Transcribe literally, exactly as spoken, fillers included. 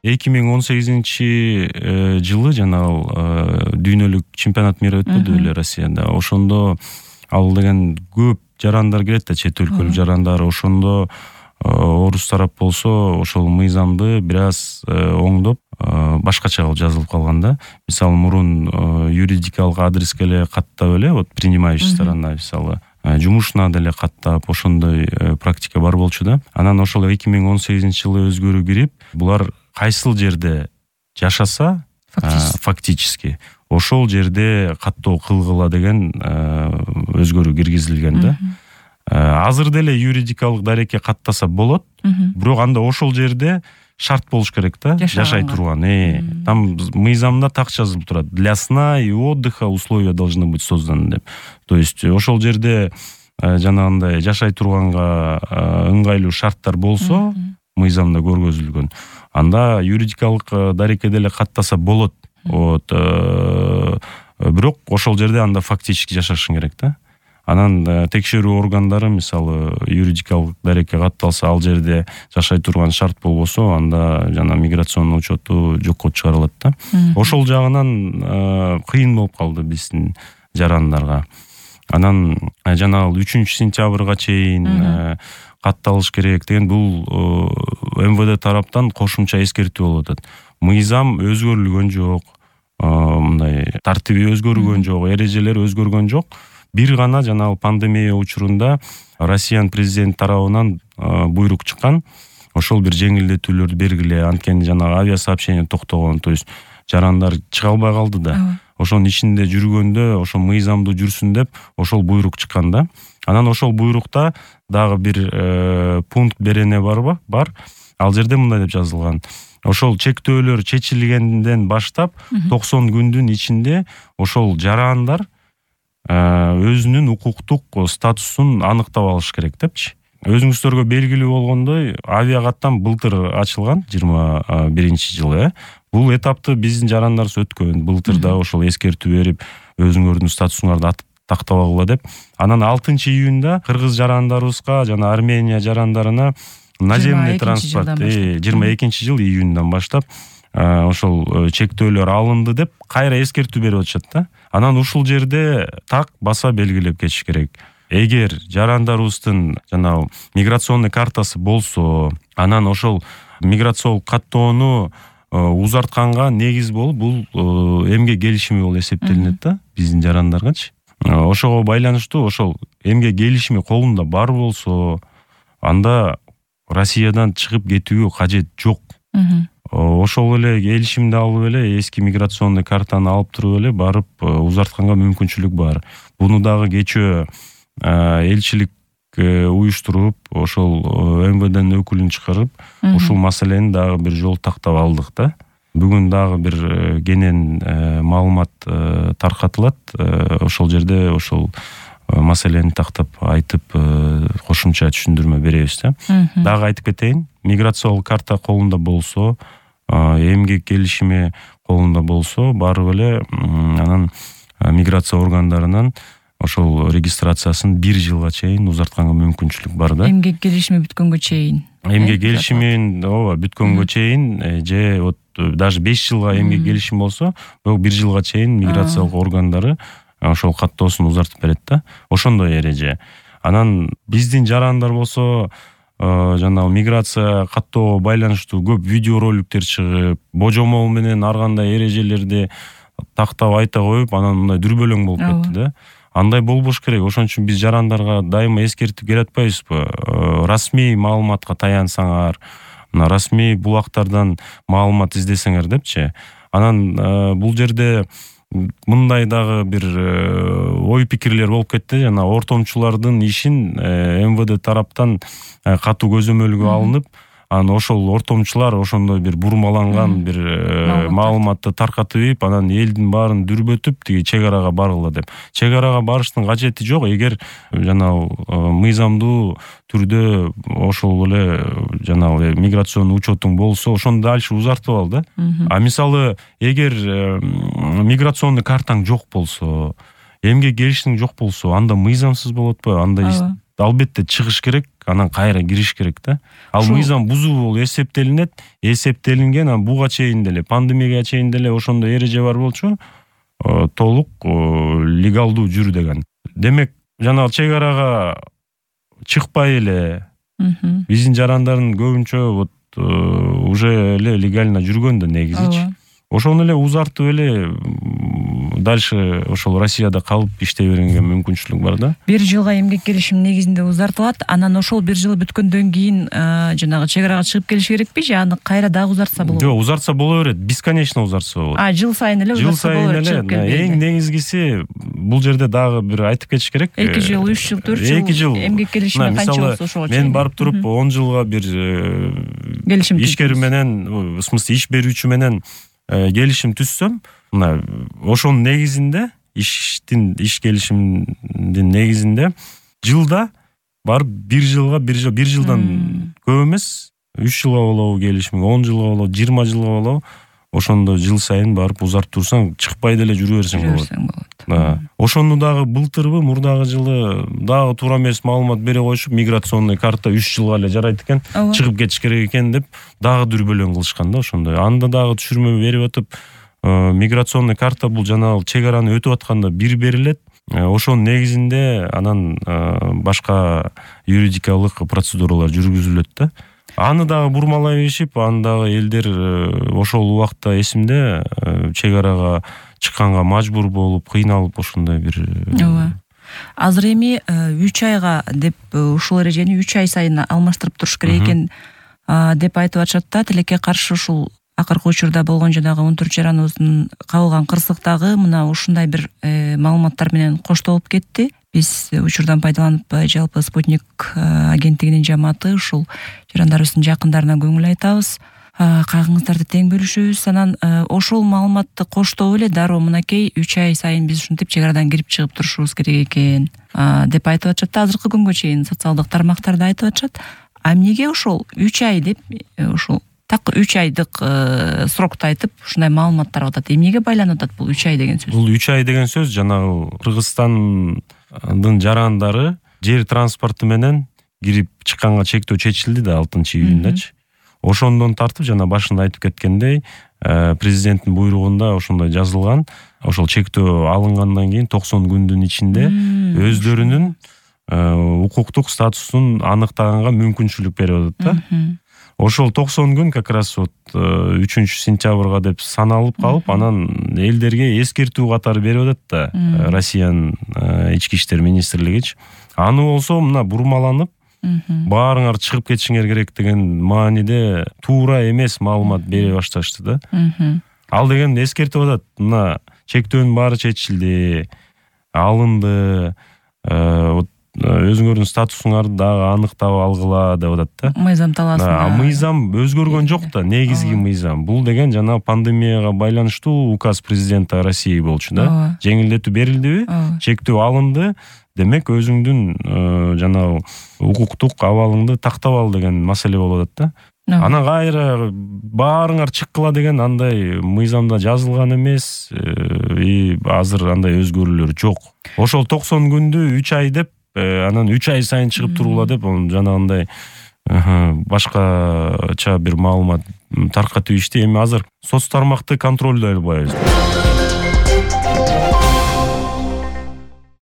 эки миң он сегизинчи жылы жанагы дүйнөлүк чемпионат мира өтпөдү беле Россияда. Ошондо ал деген көп жарандар кирет да, чет өлкөлүк жарандар. Ошондо орус тарап болсо ошол мыйзамды бир аз оңдоп башкача кылып жазылып калган да. Мисалы мурун юридикалык адреске эле каттап эле, вот принимающая сторона мисалы жумушуна деле каттап ошондой практика бар болчу да. Анан ошол эки миң он сегизинчи жылы өзгөрүү кирип, булар кайсыл жерде жашаса фактически ошол жерде каттоо кылгыла деген өзгөрүү киргизилген да. Азыр деле юридикалык дарекке каттаса болот, бирок анда ошол жерде шарт болуш керек да, жашай турган. Э, там мыйзамда так жазылып турат. Для сна и отдыха условия должны быть созданы деп. То есть ошол жерде жанагындай жашай турганга ыңгайлуу шарттар болсо, мыйзамда көргөзүлгөн. Анда юридикалык дарекке деле каттаса болот. Вот, бирок ошол жерде анда фактически жашашың керек да. Анан текшерүү органдары мисалы юридикалык дарекке катталса, ал жерде жашай турган шарт болбосо, анда жана миграционный учету жокко чыгарылат да. Ошол жагынан кыйын болуп калды биздин жарандарга. Анан жана үчүнчү сентябрга чейин катталыш керек деген бул эм вэ дэ тараптан кошумча эскертүү болуп атат. Мыйзам өзгөрүлгөн жок, мындай тартиби өзгөргөн жок, эрежелер өзгөргөн жок. Бир гана жанагы пандемия учурунда Россиянын президент тарабынан буйрук чыккан. Ошол бир жеңилдетүүлөрдү бергиле, анткени жанагы авиасообщение токтогон, то есть жарандар чыга албай калды да. Ошонун ичинде жүргөндө ошол мыйзамдуу жүрсүн деп ошол буйрук чыккан да. Анан ошол буйрукта дагы бир пункт берене барбы? Бар. Ал жерде мындай деп жазылган. Ошол чектөөлөр чечилгенден баштап токсон күндүн ичинде ошол жарандар өзүнүн укуктук статусун аныктап алыш керек депчи. Өзүңүздөргө белгилүү болгондой, авиакаттам былтыр ачылган, жыйырма биринчи жылы. Бул этапты биздин жарандарыбыз өткөн. Былтыр да ошол эскертүү берип, өзүңөрдүн статусуңарды тактабагыла деп. Анан алтынчы июнда кыргыз жарандарыбызга жана Армения жарандарына наземный транспорт жыйырма экинчи жыл июндан баштап ошол чектөөлөр алынды деп кайра эскертүү берип атышат да. Анан ушул жерде так баса белгилеп кетиш керек. Эгер жарандарыбыздын жанагы миграционный картасы болсо, анан ошол миграциялык каттоону узартканга негиз болуп бул эмгек келишими болуп эсептелинет да биздин жарандаргачы. Ошого байланыштуу ошол эмгек келишими колунда бар болсо, анда Россиядан чыгып кетүүгө кажет жок. Ошол эле келишимди алып эле эски миграционный картаны алып туруп эле барып узартканга мүмкүнчүлүк бар. Буну дагы кечөө элчилик уюштуруп, ошол эм вэ дэнин өкүлүн чыгарып, ушул маселени дагы бир жол тактап алдык да. Бүгүн дагы бир кенен маалымат таркатылат. Ошол жерде ошол маселени тактап айтып, кошумча түшүндүрмө беребиз да. Дагы айтып кетейин, миграциялык карта колунда болсо, эмгек келишими колунда болсо, барып эле анан миграция органдарынан ошол регистрациясын бир жылга чейин узартканга мүмкүнчүлүк бар да. Эмгек келишими бүткөнгө чейин. Эмгек келишимин ооба бүткөнгө чейин же вот даже беш жылга эмгек келишим болсо, бирок бир жылга чейин миграциялык органдары ошол каттоосун узартып берет да. Ошондой эреже. Анан биздин жарандар болсо, жанагы миграция каттоого байланыштуу көп видеороликтер чыгып, божомол менен ар кандай эрежелерди тактап айта коюп, анан мындай дүрбөлөң болуп кетти да. Андай болбош керек. Ошон үчүн биз жарандарга дайыма эскертип келатпайбызбы? Расмий маалыматка таянсаңар, мына расмий булактардан маалымат издесеңер депчи. Анан бул жерде мындай дагы бир ой пикирлер болуп кетти. Жана ортомчулардын ишин эм вэ дэ тараптан катуу көзөмөлгө алынып, анан ошол ортомчулар ошондой бир бурмаланган бир маалыматты таркатып ийип, анан элдин баарын дүрбөтүп, тиги чек арага баргыла деп. Чек арага барыштын кажети жок. Эгер жанагы мыйзамдуу түрдө ошол эле жанагы миграционный учетуң болсо, ошону дальше узартып ал да. А мисалы, эгер миграционный картаң жок болсо, эмгек келишиң жок болсо, анда мыйзамсыз болот атпайбы? Анда албетте чыгыш керек, анан кайра кириш керек да. Ал мыйзам бузуу болуп эсептелинет, эсептелинген, анан буга чейин деле, пандемияга чейин деле ошондой эреже бар болчу, толук легалдуу жүр деген. Демек, жанагы чек арага чыкпай эле биздин жарандардын көбүнчө вот уже эле легально жүргөн да негизичи. Ошону эле узартып эле дальше ошол Россияда калып иштей беренге мүмкүнчүлүк бар да. Бир жылга эмгек келишим негизинде узартылат. Анан ошол бир жыл бүткөндөн кийин жанагы чек арага чыгып келиш керекпи же аны кайра дагы узартса болобу? Жок, узартса боло берет. Бесконечно узартса болот. А, жыл сайын эле узартса боло берет. Жыл сайын эле. Эң негизгиси бул жерде дагы бир айтып кетиш керек. эки жыл, үч жыл, төрт жыл эмгек келишиме канча болсо ошого чейин. Мен барып туруп он жылга бир келишим ишкер менен, в смысле иш берүүчү менен келишим түзсөм, мына ошонун негизинде, иштин иш келишимдин негизинде жылда барып бир жылга бир жыл бир жылдан көп эмес, үч жылга болобу келишим, он жылга болобу, жыйырма жылга болобу, ошондо жыл сайын барып узартып турсаң, чыкпай деле жүрө берсең болот. Да. Ошону дагы былтырбы, мурдагы жылы дагы туура эмес маалымат бере коюшуп, миграционный карта үч жылга эле жарайт экен, чыгып кетиш керек экен деп дагы дүрбөлөң кылышкан да ошондой. Анда дагы түшүрмө берип атып, миграционный карта бул жанагы чек араны өтүп атканда бир берилет. Ошонун негизинде анан башка юридикалык процедуралар жүргүзүлөт да. Аны дагы бурмалай беришип, аны дагы элдер ошол убакта эсимде чек арага чыкканга мажбур болуп, кыйналып ошондой бир. Ооба. Азыр эми үч айга деп ушул эрежени үч ай сайын алмаштырып туруш керек экен деп айтып атышат да. Тилекке каршы ушул акыркы учурда болгон жанагы он төрт жараныбыздын кабылган кырсыктагы мына ушундай бир маалыматтар менен коштолуп кетти. Биз учурдан пайдаланып жалпы Спутник агенттигинин жамааты ушул жарандарыбыздын жакындарына көңүл айтабыз. Кайгыңыздарды тең бөлүшөбүз. Анан ошол маалыматты коштоп эле дароо мынакей үч ай сайын биз ушинтип чек арадан кирип чыгып турушубуз керек экен деп айтып атышат. Азыркы күнгө чейин социалдык тармактарда айтып атышат. А эмнеге ошол үч ай деп ошол так үч айдык срокто айтып ушундай маалыматтар атат? Эмнеге байланып атат бул үч ай деген сөз? Бул үч ай деген сөз жанагы Кыргызстандын жарандары жер транспорту менен кирип чыкканга чектөө чечилди да алтынчы июньдачы. Ошондон тартып жана башында айтып кеткендей, президенттин буйругунда ошондой жазылган. Ошол чектөө алынгандан кийин токсон күндүн ичинде өздөрүнүн укуктук статусун аныктаганга мүмкүнчүлүк берип атат да. Ошол токсон күн как раз вот үчүнчү сентябрга деп саналып калып, анан элдерге эскертүү катары берип атат да Россиянын ички иштер министрлигичи. Аны болсо мына бурмаланып, баарыңар чыгып кетишиңер керек деген мааниде туура эмес маалымат бере башташты да. Ал деген эскертип атат. Мына чектөөнүн баары чечилди, алынды, өзүңөрдүн статусуңарды дагы аныктап алгыла деп атат да. Мыйзам талаасында. Мыйзам өзгөргөн жок да, негизги мыйзам. Бул деген жана пандемияга байланыштуу указ президента России болчу да. Жеңилдетүү берилдиби? Чектөө алынды. Демек өзүңдүн жанагы укуктук абалыңды тактап ал деген маселе болуп атат да. Анан кайра баарыңар чыккыла деген андай мыйзамда жазылган эмес, и азыр андай өзгөрүүлөр жок. Ошол токсон күндү үч ай деп, анан үч ай сайын чыгып тургула деп, жанагындай башкача бир маалымат таркатып ишти. Эми азыр соц тармакты контролдой албайбыз.